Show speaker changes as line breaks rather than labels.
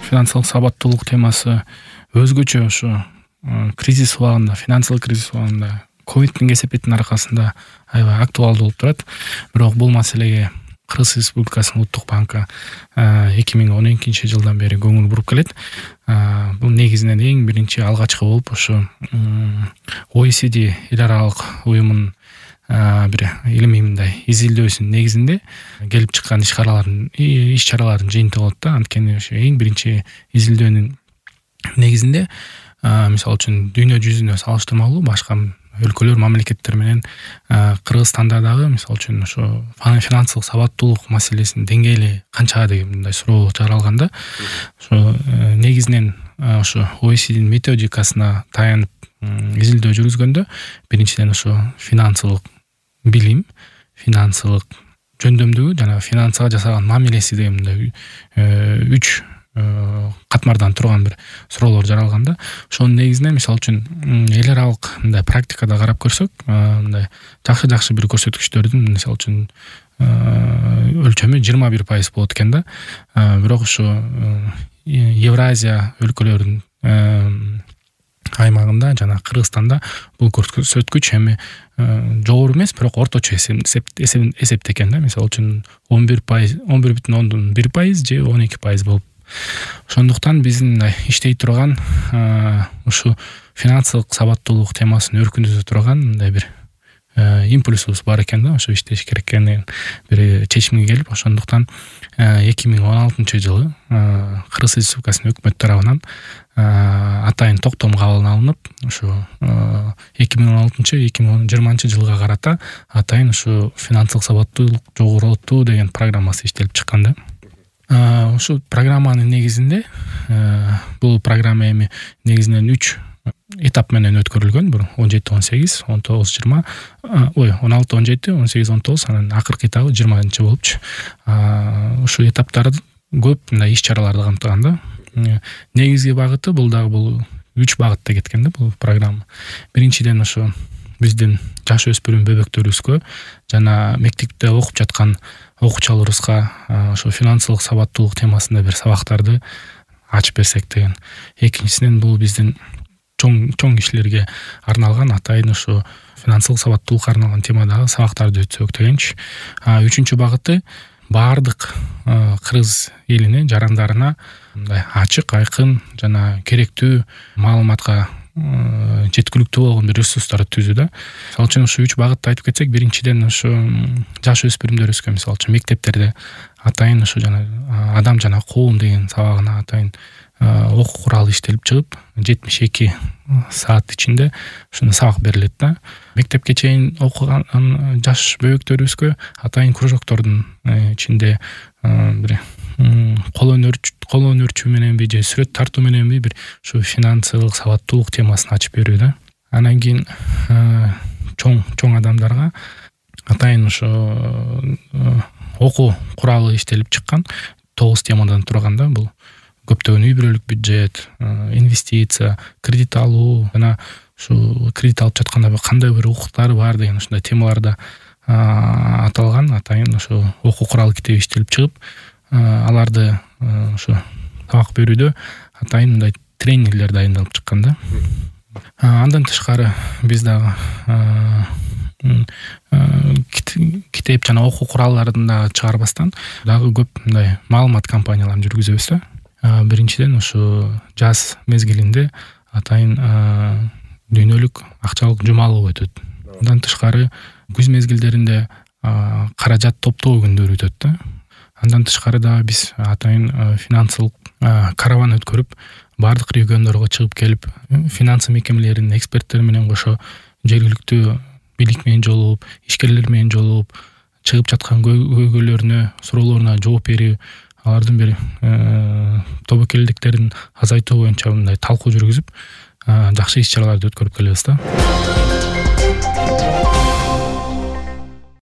финансылык сабаттуулук темасы өзгөчө ушу кризис убагында, финансылык кризис убагында, ковидтин кесепетинин аркасында аябай актуалдуу болуп турат. Бирок бул маселеге Кыргыз Республикасынын Улуттук банкы 2012 жылдан бери көңүл буруп келет. Бул негизинен эң биринчи алгачкы болуп ушу OECD эл аралык уюмунун бир илимий мындай изилдөөсүнүн негизинде келип чыккан иш-чаралардын жыйынтыгы болот да. Анткени ошо эң биринчи изилдөөнүн негизинде мисалы үчүн дүйнө жүзүнө салыштырмалуу башка өлкөлөр, мамлекеттер менен Кыргызстанда дагы мисалы үчүн ошо финансылык сабаттуулук маселесинин деңгээли канчага деген мындай суроо жаралганда, ошо негизинен ошо OECD'нин методикасына таянып изилдөө жүргүзгөндө биринчиден ошо финансылык билим, финансылык жөндөмдүгү жана финансага жасаган мамилеси деген мындай 3 катмардан турган бир суроолор жаралганда, ошонун негизинен мисалы үчүн эл аралык мындай практикада карап көрсөк, мындай жакшы бир көрсөткүчтөрдүн мисалы үчүн өлчөмү 21% болот экен да. Бирок ошо Евразия өлкөлөрүнүн аймагында жана Кыргызстанда бул көрсөткүч эми жогору эмес, бирок орточо эсептекен да. Мисалы үчүн 11,1% же 12% болуп. Ошондуктан биздин иштей турган ушу финансылык сабаттуулук темасын өркүндөтө турган мындай бир импульсубуз бар экен да. Ошо иштеш керек экенин бир чечимге келип, ошондуктан 2016 жылы Кыргыз Республикасынын өкмөтү тарабынан атайын токтом кабыл алынып, ошо 2016-2020 жылга карата атайын ушу финансылык сабаттуулук жогорултуу деген программасы иштелип чыккан да. Ушу программанын негизинде бул программа эми негизинен 3 этап менен өткөрүлгөн. Бул 17-18, 19-20, 16-17, 18-19, анан акыркы этабы 20 болупчу. Ушу этаптарды көп мындай иш-чараларды камтыган да. Негизги багыты бул дагы бул 3 багытта кеткен да бул программа. Биринчиден ошо биздин жаш өспүрүм бөбөктөрүбүзгө жана мектепте окуп жаткан окуучуларыбызга ошо финансылык сабаттуулук темасында бир сабактарды ачып берсек деген. Экинчисинен бул биздин чоң кишилерге арналган атайын ошо финансылык сабаттуулукка арналган темадагы сабактарды өтсөк дегенчи. Үчүнчү багыты баардык кыргыз элине, жарандарына мындай ачык, айкын жана керектүү маалыматка жеткиликтүү болгон бир ресурстарды түзүү да. Мисалы үчүн ушу 3 багытты айтып кетсек, биринчиден ошо жаш өспүрүмдөрүбүзгө мисалы үчүн мектептерде атайын ошо жана адам жана коом деген сабагына атайын окуу куралы иштелип чыгып, 72 саат ичинде ушуну сабак берилет да. Мектепке чейин окуган жаш бөбөктөрүбүзгө атайын кружоктордун ичинде бир кол өнөрчү мененби же сүрөт тартуу мененби бир ушу финансылык сабаттуулук темасын ачып берүү да. Анан кийин чоң адамдарга атайын ошо окуу куралы иштелип чыккан 9 темадан турган да. Бул көптөгөн үй бүлөлүк бюджет, инвестиция, кредит алуу жана ушу кредит алып жатканда кандай бир укуктары бар деген ушундай темаларда аталган атайын ошо окуу курал китеби иштелип чыгып, аларды ошо сабак берүүдө атайын мындай тренингдер дайындалып чыккан да. Андан тышкары биз дагы китеп жана окуу куралдарын да чыгарбастан дагы көп мындай маалымат кампанияларын жүргүзөбүз да. Биринчиден ушу жаз мезгилинде атайын дүйнөлүк акчалык жумалоо өтөт. Андан тышкары күз мезгилдеринде каражат топтоо күндөрү өтөт да. Андан тышкары да биз атайын финансылык караван өткөрүп, бардык региондорго чыгып келип, финансы мекемелеринин эксперттери менен кошо жергиликтүү бийлик менен жолугуп, ишкерлер менен жолугуп, чыгып жаткан көйгөйлөрүнө, суроолоруна жооп берүү, алардын бир тобокелдиктерин азайтуу боюнча мындай талкуу жүргүзүп, жакшы иш-чараларды өткөрүп келебиз да.